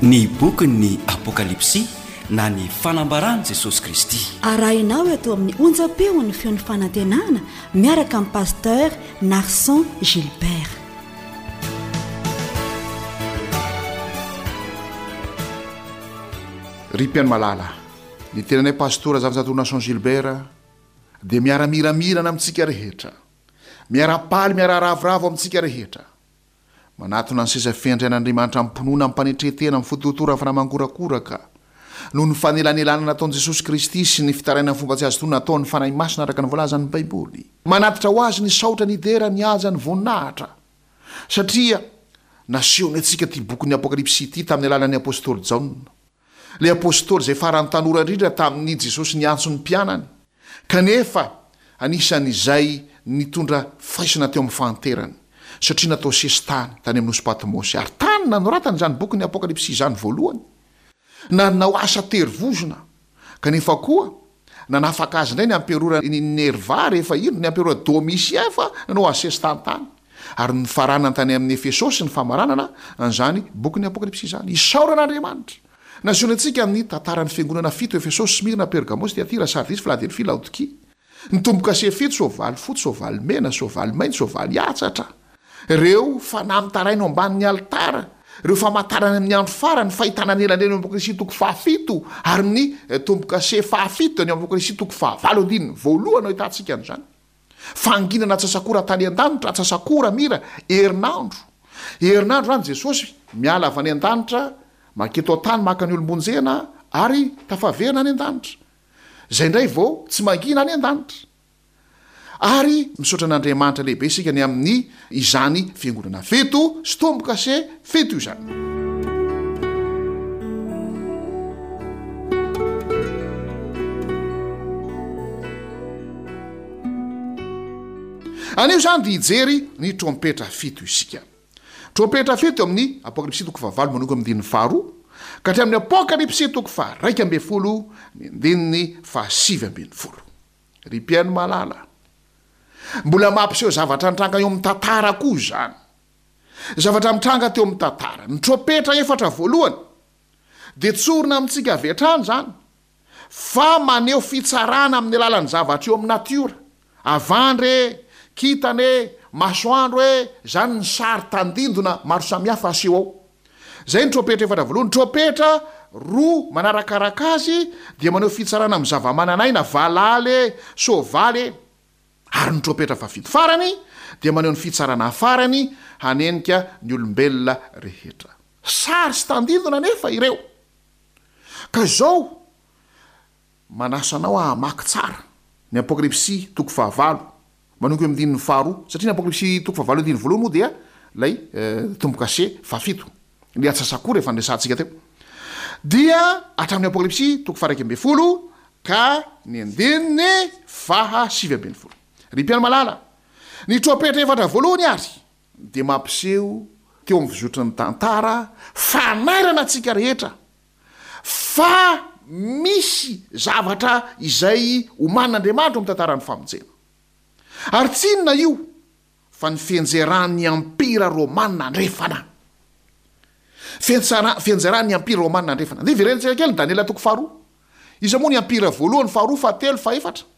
Ny bokin'ny Apokalypsy na ny fanambaran'i Jesosy Kristy. Arahinao eto amin'ny onjam-peon'ny feon'ny fanantenana miaraka amin'i Pasteur Narson Gilbert. Ry mpihaino malala, ny tenanay Pastora Zafinjatovo Narson Gilbert dia miara-miramirana amintsika rehetra, miara-paly miara-ravoravo amintsika rehetra. Manatona ny seza fiandrian'Andriamanitra amim-pinoana, amim-panetren-tena, amin'ny fototora fanahy mangorakoraka, noho ny fanelanelanana nataon'i Jesosy Kristy sy ny fitarainana fomba tsy azo tonona ataon'ny Fanahy Masina araka ny voalazan'ny Baiboly. Manatitra ho Azy ny saotra, ny dera, ny haja, ny voninahitra, satria nasehony antsika ity bokin'ny Apokalypsy ity tamin'ny alalan'ny apostoly Jaona. Ilay apostoly izay farany tanora indrindra tamin'i Jesosy niantso ny mpianany, kanefa anisan'izay nitondra faisana teo amin'ny fahanterany, satria natao sesitany tany amin'ny nosy Patmosy, ary tany nanoratany izany bokin'ny Apokalypsy izany voalohany. Nanao asa terivozona, kanefa koa nanafaka azy indray ny amperora Nerva rehefa indro ny amperora Domitien fa nanao azy sesitany tany. Ary nofaranany tany amin'ny Efesosy ny famaranana an'izany bokin'ny Apokalypsy izany. Isaorana Andriamanitra! Nasehony antsika ny tantaran'ny fiangonana fito, Efesosy, Smyrna, Pergamosy, Tyatira, Sardisy, Filadelfia, Laodikia. Ny tombo-kase fito, soavaly fotsy, soavaly mena, soavaly mainty, soavaly hatsatra. Ireo fanahy mitaraina eo ambanin'ny alitara, ireo famantarana amin'ny andro farany, fahitana ny elanelany eo amin'ny Apokalypsy toko fahafito, ary ny tombo-kase fahafito dia ny Apokalypsy toko fahavalo andininy voalohany no ahitantsika an'izany. Fanginana atsasak'ora tany an-danitra, atsasak'ora mira, herinandro. Herinandro izany Jesosy miala avy any an-danitra manketo an-tany maka ny olom-bonjena ary tafaverina any an-danitra. Izay indray vao tsy mangina any an-danitra. Ary misaotra an'Andriamanitra lehibe isika ny amin'ny izany fiangonana fito sy tombo-kase fito izany. Anio izany dia hijery ny trompetra fito isika. Trompetra fito eo amin'ny Apokalypsy toko fahavalo manomboka amin'ny andininy faharoa ka hatramin'ny Apokalypsy toko faha-11 ny andininy faha-19. Ry mpihaino malala, mbola mampiseho zavatra nitranga eo amin'ny tantara koa izany. Zavatra mitranga teo amin'ny tantara. Ny trompetra efatra voalohany dia tsorina amintsika avy hatrany izany fa maneho fitsarana amin'ny alalan'ny zavatra eo amin'ny natiora, avandra e, kintana e, masoandro e, izany ny sary tandindona maro samihafa aseho ao. Izay ny trompetra efatra voalohany. Ny trompetra roa manarakaraka azy dia maneho fitsarana amin'ny zava-manan'aina, valala e, soavaly e. Ary ny trompetra fahafito farany dia maneho ny fitsarana farany hanenika ny olombelona rehetra. Sary sy tandindona anefa ireo. Ka izao, manasa anao aho hamaky tsara ny Apokalypsy toko fahavalo, manomboka eo amin'ny andininy faharoa, satria ny Apokalypsy toko fahavalo andininy voalohany moa dia ilay tombo-kase fahafito, ilay atsasak'ora efa niresahantsika teo, dia hatramin'ny Apokalypsy toko faha-11 ka ny andininy faha-19. Ry mpihaino malala, ny trompetra efatra voalohany ary dia mampiseho teo amin'ny fizotry ny tantara fanairana antsika rehetra fa misy zavatra izay omanin'Andriamanitra ao amin'ny tantaran'ny famonjena. Ary tsy inona io fa ny fianjeran'ny Ampira Romana Andrefana. Fiantsara, fianjeran'ny Ampira Romana Andrefana. Andeha hiverenantsika kely ny Daniela toko faharoa. Iza moa ny ampira voalohany, faharoa, fahatelo, fahefatra?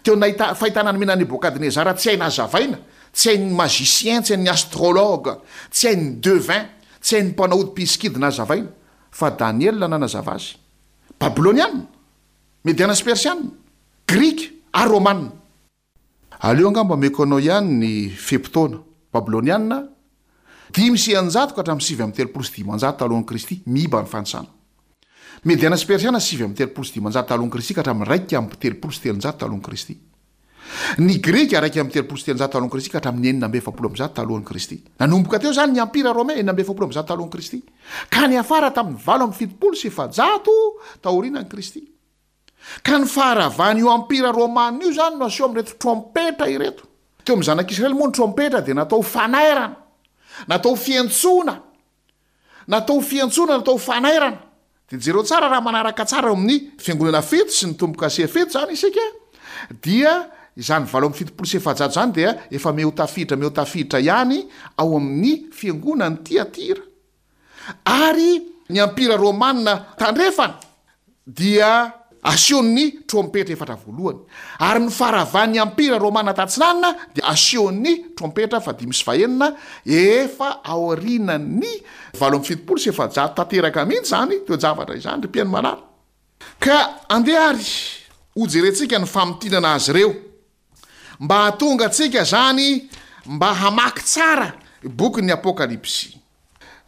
Teo nahita fahitana nomena Nebokadnezara tsy hay nazavaina, tsy hain'ny magicien, tsy hain'ny astrologue, tsy hain'ny devin, tsy hain'ny mpanao ody mpisikidy nazavaina, fa Daniela nanazava azy. Babyloniana, Mediana sy Persiana, Grika ary Romana. Aleo angamba omeko anao ihany ny fe-potoana. Babyloniana, 605 ka hatramin'ny 539 talohan'i Kristy, miiba ny fanisana. Mediana sy Persiana, 539 talohan'i Kristy ka hatramin'ny 331 talohan'i Kristy. Ny Grika, 331 talohan'i Kristy ka hatramin'ny 146 talohan'i Kristy. Nanomboka teo izany ny Empira Romain, 346 talohan'i Kristy, ka niafara tamin'ny 478 taorianan'i Kristy. Ka ny faharavan'io Empira Romana io izany no aseho amin'ireto trompetra ireto. Teo amin'ny zanak'Israely moa ny trompetra dia natao ho fanairana, natao ho fiantsoana, natao ho fiantsoana, natao ho fanairana. Dia jereo tsara raha manaraka tsara eo amin'ny fiangonana fito sy ny tombo-kase fito izany isika dia izany 478 izany dia efa miha ho tafiditra miha ho tafiditra ihany ao amin'ny fiangonan'i Tyatira. Ary. ny Ampira Romana Tandrefana dia asehon'ny trompetra efatra voalohany, ary ny faharavan'ny Ampira Romana Tatsinanana dia asehon'ny trompetra fahadimy sy fahenina, efa aorianan'ny 478 tanteraka mihitsy izany toe-javatra izany, ry mpihaino malala. Ka andeha ary hojerentsika ny famintinana azy ireo, mba hahatonga antsika izany mba hamaky tsara bokin'ny Apokalypsy.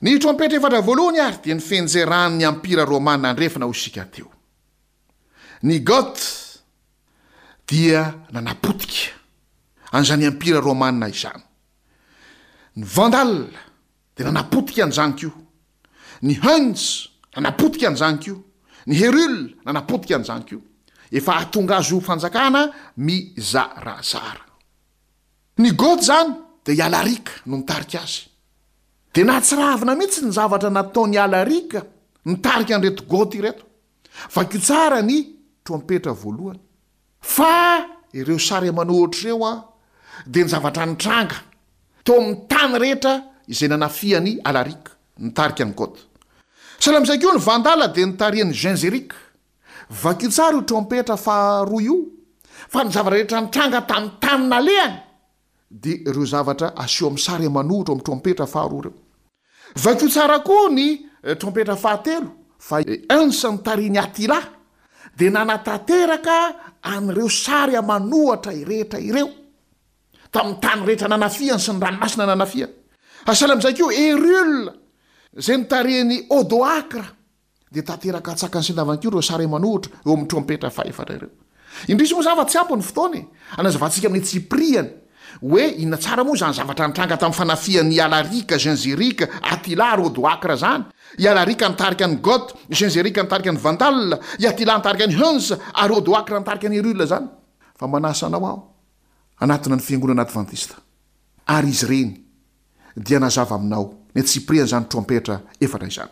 Ny trompetra efatra voalohany ary dia ny fianjeran'ny Ampira Romana Andrefana hoy isika teo. Ny Goth dia nanapotika an'izany Ampira Romana izany. Ny Vandal dia nanapotika an'izany koa. Ny Huns nanapotika an'izany koa. Ny Herul nanapotika an'izany koa. Efa hahatonga azy ho fanjakana mizarazara. Ny Goth izany dia i Alaric no nitarika azy. Dia nahatsiravina mihitsy ny zavatra nataon'i Alaric nitarika an'ireto Goth ireto. Vakio tsara ny trompetra voalohany. Fa ireo sary aman'ohatra ireo an, dia ny zavatra nitranga teo amin'ny tany rehetra izay nanafihan'i Alaric, nitarika ny Goth. Sahala amin'izay koa ny Vandala dia nitarihan'i Genseric. Vakio tsara io trompetra faharoa io, fa ny zavatra rehetra nitranga tamin'ny tany nalehany dia ireo zavatra aseho amin'ny sary aman'ohatra ao amin'ny trompetra faharoa ireo. Vakio tsara koa ny trompetra fahatelo, fa i Hans nitarihin'i Attila dia nanatanteraka an'ireo sary aman'ohatra rehetra ireo, tamin'ny tany rehetra nanafihany sy ny ranomasina nanafihany. Sahala amin'izay koa Herule izay notarihin'i Odoacre. Dia tanteraka antsakany sy andavany koa ireo sary aman'ohatra eo amin'ny trompetra fahefatra ireo. Indrisy moa izany fa tsy ampy ny fotoana e! Hanazavantsika amin'ny antsipiriany hoe inona tsara moa izany zavatra nitranga tamin'ny fanafihan'i Alaric, Genseric, Attila ary Odoacre izany. I Alaric nitarika ny Goth, Genseric nitarika ny Vandal, i Attila nitarika ny Huns ary Odoacre nitarika ny Herule izany. Fa manasa anao aho hanatona ny Fiangonana Advantista ary izy ireny dia nazava aminao ny antsipirian'izany trompetra efatra izany.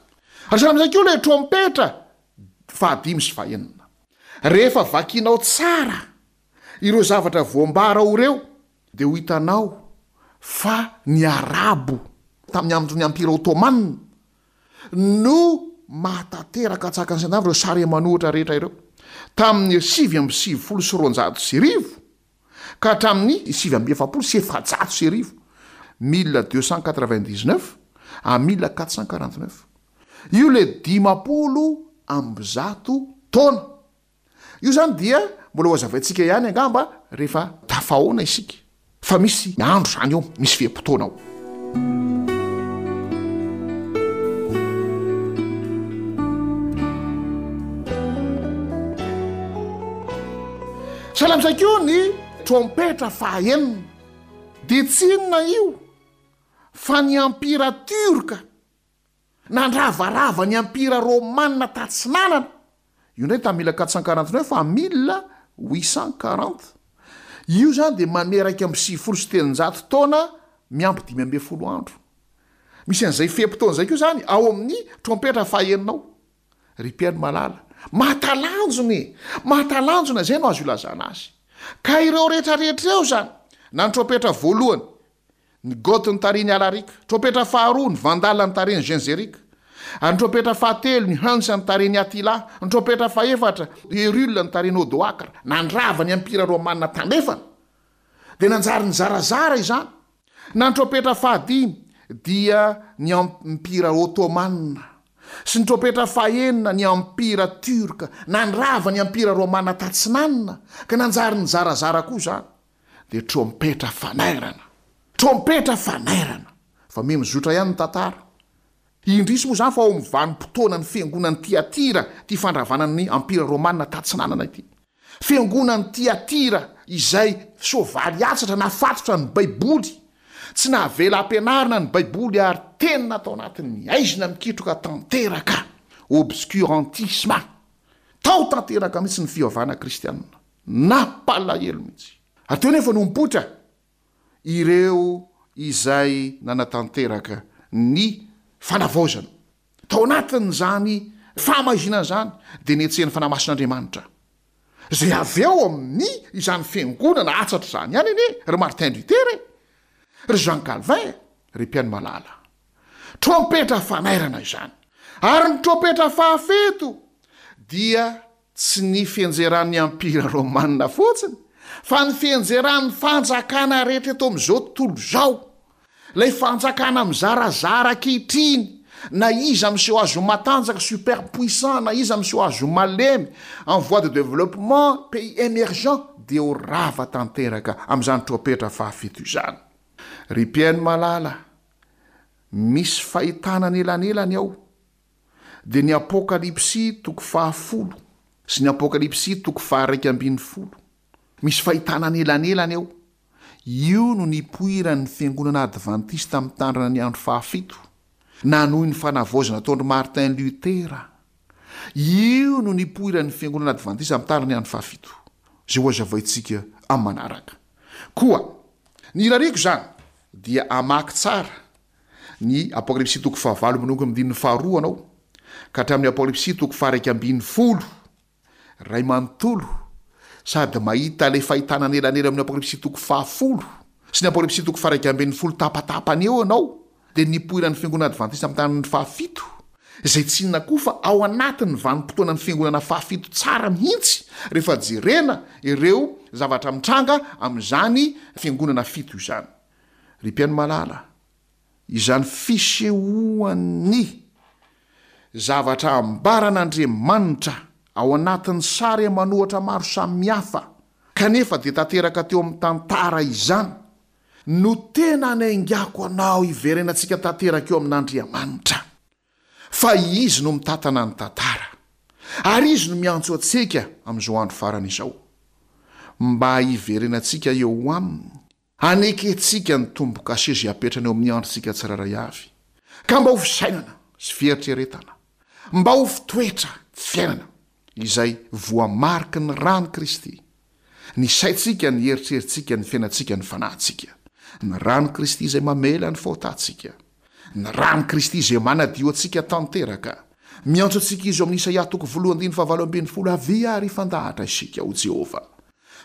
Ary sahala amin'izay koa ilay trompetra fahadimy sy fahenina. Rehefa vakinao tsara ireo zavatra voambara ao ireo, dia ho hitanao fa ny Arabo tamin'ny andron'ny Ampira Ottoman no mahatanteraka antsakany sy andavy ireo sary aman'ohatra rehetra ireo. Tamin'ny 1299, ka hatramin'ny 1449, 1299 à 1449. Io ilay 150 taona. Io izany dia mbola ho hazavaintsika ihany angamba rehefa tafahaona isika. Fa misy andro izany eo, misy fe-potoana ao. Sahala amin'izay koa ny trompetra fahaenina dia tsy inona io fa ny ampira tiorka nandravarava ny ampira romana tatsinanana, io indray tamin'ny 1449 à 1840, io izany dia manome 391 taona miampy 15 andro. Misy an'izay fe-potoana izay koa izany ao amin'ny trompetra fahaenina ao. Ry mpihaino malala, mahatalanjona e! Mahatalanjona, izay no azo ilazana azy. Ka ireo rehetra rehetra ireo izany, na ny trompetra voalohany, ny Goth notarihin'i Alaric, trompetra faharoa, ny Vandal notarihin'i Genseric, ary ny trompetra fahatelo, ny Huns notarihin'i Attila, ny trompetra fahefatra, Herule notarihin'i Odoacre, nandrava ny Empira Romana Tandrefana, dia nanjary nizarazara izany. Na ny trompetra fahadimy dia ny Empira Ottoman, sy ny trompetra fahenina ny Empira Turc, nandrava ny Empira Romana Tatsinanana, ka nanjary nizarazara koa izany, dia trompetra fanairana. Trompetra fanairana! Fa miha mizotra ihany ny tantara. Indrisy moa izany fa ao amin'ny vanim-potoanan'ny fiangonan'i Tyatira ity fandravana ny Empira Romana Tatsinanana ity. Fiangonan'i Tyatira izay soavaly atsatra nafatotra ny Baiboly, tsy navela hampianarina ny Baiboly ary tena tao anatin'ny haizina mikitroka tanteraka, obscurantisme, tao tanteraka mihitsy ny fivavahana kristianina. Nampalahelo mihitsy. Ary teo anefa no nipoitra ireo izay nanatanteraka ny fanavaozana. Tao anatin'izany fahamaizinana izany dia netsehin'ny Fanahy Masin'Andriamanitra, izay avy ao amin'ny izany fiangonana hatsatra izany ihany anie ry Martin Luther e! Ry Jean Calvin e! Ry mpihaino malala. Trompetra fanairana izany. Ary ny trompetra fahafito dia tsy ny fianjeran'ny Empira Romana fotsiny, fa ny fianjeran'ny fanjakana rehetra eto amin'izao tontolo izao. Ilay fanjakana mizarazara ankehitriny, na iza miseho azy ho matanjaka, super puissant, na iza miseho azy ho malemy, en voie de développement, pays émergent, dia ho rava tanteraka amin'izany trompetra fahafito izany. Ry mpihaino malala, misy fahitana anelanelany ao, dia ny Apokalypsy toko fahafolo sy ny Apokalypsy toko faha-11. Misy fahitana anelanelany ao. Io no nipoiran'ny Fiangonana Advantista Mitandrina ny Andro Fahafito, nanohy ny fanavaozana nataon-dry Martin Luther. Io no nipoiran'ny Fiangonana Advantista Mitandrina ny Andro Fahafito, izay hohazavaintsika amin'ny manaraka. Koa, ny irariako izany dia hamaky tsara ny Apokalypsy toko fahavalo manomboka amin'ny andininy faharoa anao, ka hatramin'ny Apokalypsy toko faha-11. Ray manontolo, sady mahita ilay fahitana anelanela amin'ny Apokalypsy toko fahafolo sy ny Apokalypsy toko faha-11 tapatapany eo ianao, dia nipoiran'ny Fiangonana Advantista amin'ny tanin'ny fahafito, izay tsy inona koa fa ao anatin'ny vanim-potoanan'ny Fiangonana fahafito tsara mihitsy rehefa jerena ireo zavatra mitranga amin'izany Fiangonana fito izany. Ry mpihaino malala, izany fisehoan'ny zavatra ambaran'Andriamanitra ao anatin'ny sary aman'ohatra maro samihafa kanefa dia tanteraka teo amin'ny tantara izany no tena anaingako anao hiverenantsika tanteraka eo amin'Andriamanitra fa Izy no mitantana ny tantara ary Izy no miantso antsika amin'izao andro farany izao mba hiverenantsika eo Aminy Anekentsika ny tombo-kase izay apetrany eo amin'ny androntsika tsirairay avy, ka mba ho fisainana sy fieritreretana, mba ho fitoetra fiainana izay voamariky ny ran'i Kristy, ny saintsika, ny eritreritsika, ny fiainantsika, ny fanahintsika. Ny ran'i Kristy izay mamela ny fahotantsika. Ny ran'i Kristy izay manadio antsika tanteraka. Miantso antsika Izy ao amin'ny Isaia toko voalohany andininy fahavalo ambin'ny folo, Avia ary hifandahatra isika, hoy Jehovah.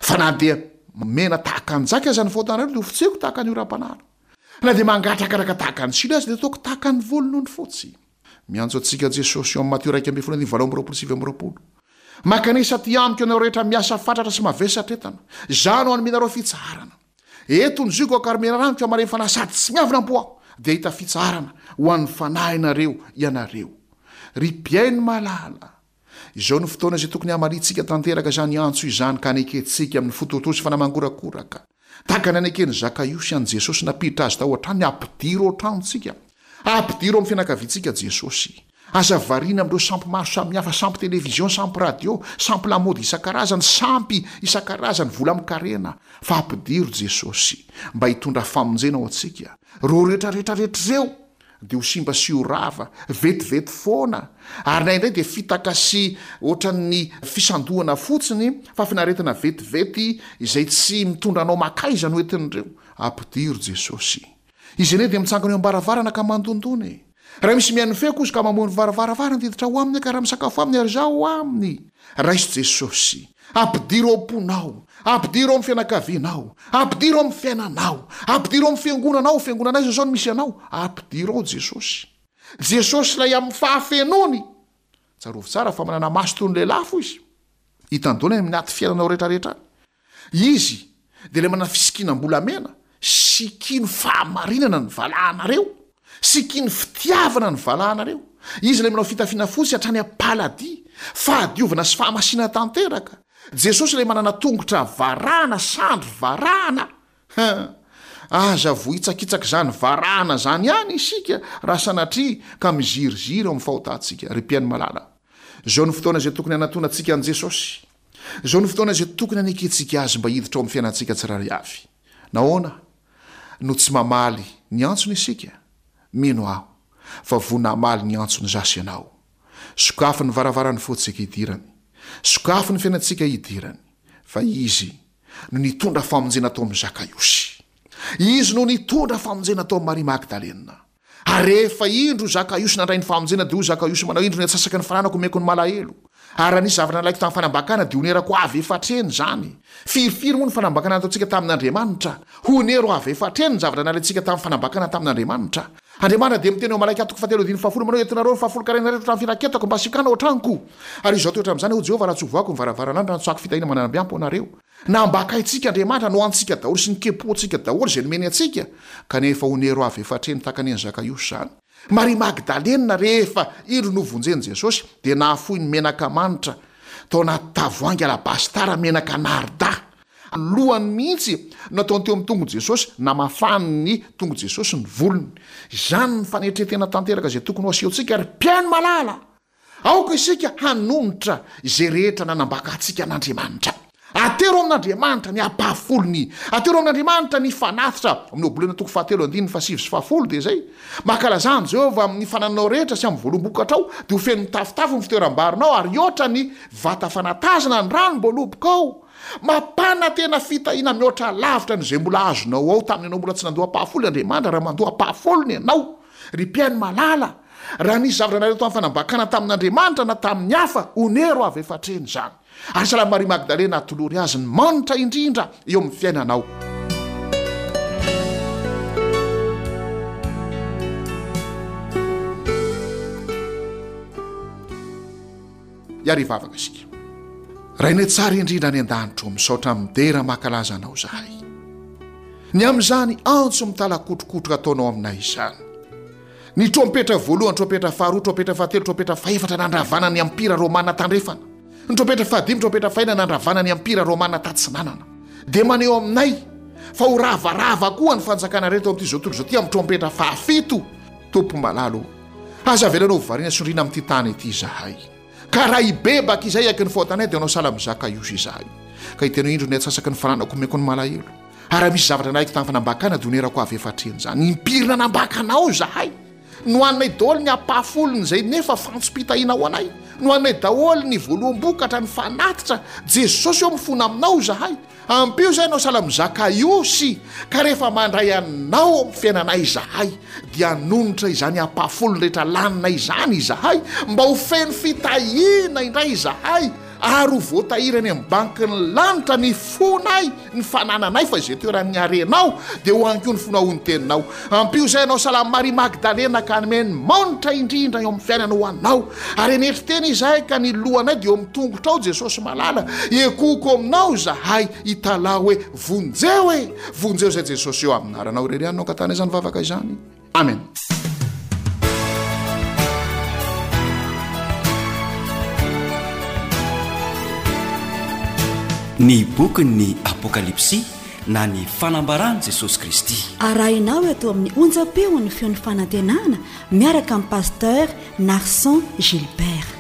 Fa na dia mena tahaka ny jaky aza ny fahotanareo dia hofotseko tahaka ny oram-panala. Na dia mangatrakaraka tahaka ny silo aza dia hataoko tahaka ny volon'ondry fotsy. Miantso antsika Jesosy eo amin'ny Matio 11 andininy 28 sy 29. Mankanesa aty amiko ianareo rehetra miasa fatratra sy mavesatra entana. Izaho no hanome anareo fitsaharana. Eto ny zioga aho ka ry menarano ka maremy fanahy sady tsy miavona am-po aho dia hahita fitsaharana ho an'ny fanahinareo ianareo. Ry mpihaino malala, Izao no fotoana izay tokony hamaliantsika tanteraka izany antso izany ka hanekentsika amin'ny fo torotoro sy fanahy mangorakoraka. Tahaka ny haneken'i Zakaiosy an'i Jesosy nampiditra azy tao an-tranony, ampidiro ao an-tranontsika. Ampidiro ao amin'ny fianakaviantsika Jesosy. Aza variana amin'ireo sampy maro samihafa, sampy television, sampy radio, sampy lamaody isan-karazany, sampy isan-karazany, vola amin-karena, fa ampidiro Jesosy mba hitondra famonjena ho antsika. Ireo rehetra rehetra rehetra ireo dia ho simba sy ho rava vetivety foana, ary na indray dia fitaka sy ohatran'ny fisandohana fotsiny, fahafinaretana vetivety izay tsy mitondra anao makaiza no entin'ireo. Ampidiro Jesosy. Izy anie dia mitsangana eo am-baravarana ka mandondona e. Raha misy mihaino ny feoko izy ka mamoha ny varavaravara dia hiditra ao aminy ka raha misakafo aminy ary izaho ao aminy. Raiso Jesosy. Ampidiro ao am-ponao. Ampidiro ao amin'ny fianakavianao. Ampidiro ao amin'ny fiainanao. Ampidiro ao amin'ny fiangonanao. Fiangonana aiza izao no misy anao? Ampidiro ao Jesosy. Jesosy ilay amin'ny fahafenoany. Tsarovy tsara fa manana maso toy ny lelafo Izy. Hitany daholo any amin'ny anaty fiainanao rehetra rehetra any. Izy dia ilay manana fisikinam-bolamena, sikino fahamarinana ny valahanareo, sikino fitiavana ny valahanareo. Izy ilay manao fitafiana fotsy hatrany am-paladia, fahadiovana sy fahamasinana tanteraka. Jesosy ilay manana tongotra varahana, sandry varahana. Hein! Aza vohitsakitsaka izany varahana izany ihany isika raha sanatria ka miziriziry ao amin'ny fahotantsika. Ry mpihaino malala, izao no fotoana izay tokony hanatonantsika an'i Jesosy. Izao no fotoana izay tokony hanekentsika Azy mba hiditra ao amin'ny fiainantsika tsirairay avy. Nahoana no tsy mamaly ny antsony isika? Mino aho fa vonona hamaly ny antsony izaho sy ianao. Sokafy ny varavaran'ny fontsika hidirany. Sokafy ny fiainantsika hidirany. Fa Izy no nitondra famonjena tao amin'i Zakaiosy. Izy no nitondra famonjena tao amin'i Maria Magdalena. Ary rehefa indro Zakaiosy nandray ny famonjena, dia hoy Zakaiosy manao, Indro ny antsasaky ny fananako omeko ny malahelo. Ary raha nisy zavatra nalaiko tamin'ny fanambakana, dia honerako avy efatreny izany. Firifiry moa ny fanambakana nataontsika tamin'Andriamanitra? Honero avy efatreny ny zavatra nalaintsika tamin'ny fanambakana tamin'Andriamanitra. Andriamanitra dia miteny ao Malakia toko fahatelo andininy fahafolo manao hoe, Entinareo ny fahafolonkarena rehetra hatramin'ny firaketako mba sikana ao an-tranoko. Ary izao toetra amin'izany, hoy Jehovah, raha tsy hovohako ny varavarana raha nitsoahako fitahiana mananambiampo anareo. Nambakaintsika Andriamanitra, nohanintsika daholo sy nikepohantsika daholo izay nomeny antsika, kanefa onero avy efa hatreny tahaka ny an'i Zakaiosy izany. Maria Magdalena rehefa indro novonjen'i Jesosy dia nahafoy ny menaka manitra tao anaty tavoahangy alabastara menaka narda. Lohany mihitsy no nataony teo amin'ny tongon'i Jesosy, namafany ny tongon'i Jesosy ny volony. Izany ny fanetren-tena tanteraka izay tokony ho asehontsika ry mpihaino malala! Aoka isika hanonitra izay rehetra nanambaka antsika an'Andriamanitra. Atero amin'Andriamanitra ny ampahafolony. Atero amin'Andriamanitra ny fanatitra. Amin'ny Ohabolana toko fahatelo andininy fahasivy sy fahafolo dia izay. Mankalazà an'i Jehovah amin'ny fanananao rehetra sy amin'ny voaloham-bokatrao, dia ho feno mitafotafo ny fitoeram-barinao ary hihoatra ny vata fanatazana ny ranom-boalobokao. Mampanantena fitahiana mihoatra lavitra noho izay mbola azonao ao tamin'ny ianao mbola tsy nandoa ampahafolony Andriamanitra raha mandoa ampahafolony ianao. Ry mpihaino malala, raha nisy zavatra nareo tamin'ny fanambakana tamin'Andriamanitra na tamin'ny hafa, onero avy efa hatreny izany. Ary sahala Maria Magdalena atolory azy ny manitra indrindra eo amin'ny fiainanao. Hiary hivavaka isika. Rainay tsara indrindra any an-danitra ô, misaotra midera mankalaza Anao izahay. Ny amin'izany antso mitalakotrokotroka ataonao aminay izany. Ny trompetra voalohany, trompetra faharoa, trompetra fahatelo, trompetra fahefatra nandravana ny ampira romana tandrefana. Ny trompetra fahadimy, trompetra fahena nandravana ny ampira romana tatsinanana. Dia maneho aminay fa ho ravarava koa ny fanjakana rehetra ao amin'ity izao tontolo izao ity amin'ny trompetra fahafito. Tompo malala ô, aza avelanao ho variana sondriana amin'ity tany ity izahay. Ka raha hibebaka izay aiky ny fahotanay dia hanao sahala amin'i Zakaiosy izahay. Ka hiteny hoe indro ny atsasaky ny fananako omeko ny malahelo. Ary raha misy zavatra nalaiko tamin'ny fanambakana dia onerako avy efa hatreny izany. Impiry nanambaka anao izahay? Nohaninay daholo ny ampahafolony izay nefa fantsom-pitahiana ho anay. Nohaninay daholo ny voaloham-bokatra, ny fanatitra. Jesosy ô mifona aminao izahay. Ampio izay hanao sahala amin'i Zakaiosy, ka rehefa mandray Anao ao amin'ny fiainanay izahay, dia hanonitra izany ampahafolony rehetra laninay izany izahay, mba ho feno fitahiana indray izahay, ary ho voatahiry any amin'ny bankin'ny lanitra ny fonay, ny fanananay, fa izay toeran'ny harenao, dia ho any koa ny fonao, hoy ny Teninao. Ampio izay hanao sahala amin'i Maria Magdalena, ka hanome ny manitra indrindra eo amin'ny fiainana ho Anao. Ary hanetry tena izahay ka ny lohanay dia eo amin'ny tongotrao Jesosy malala, ekohoko aminao izahay hitalaho hoe vonjeo e! Vonjeo izay Jesosy eo amin'ny anaranao irery ihany no angatahana izany vavaka izany. Amen. Ny bokin'ny Apokalypsy na ny fanambaran'i Jesosy Kristy. Arahinao eto amin'ny onjam-peon'ny feon'ny fanantenana miaraka amin'i Pasteur Narson Gilbert.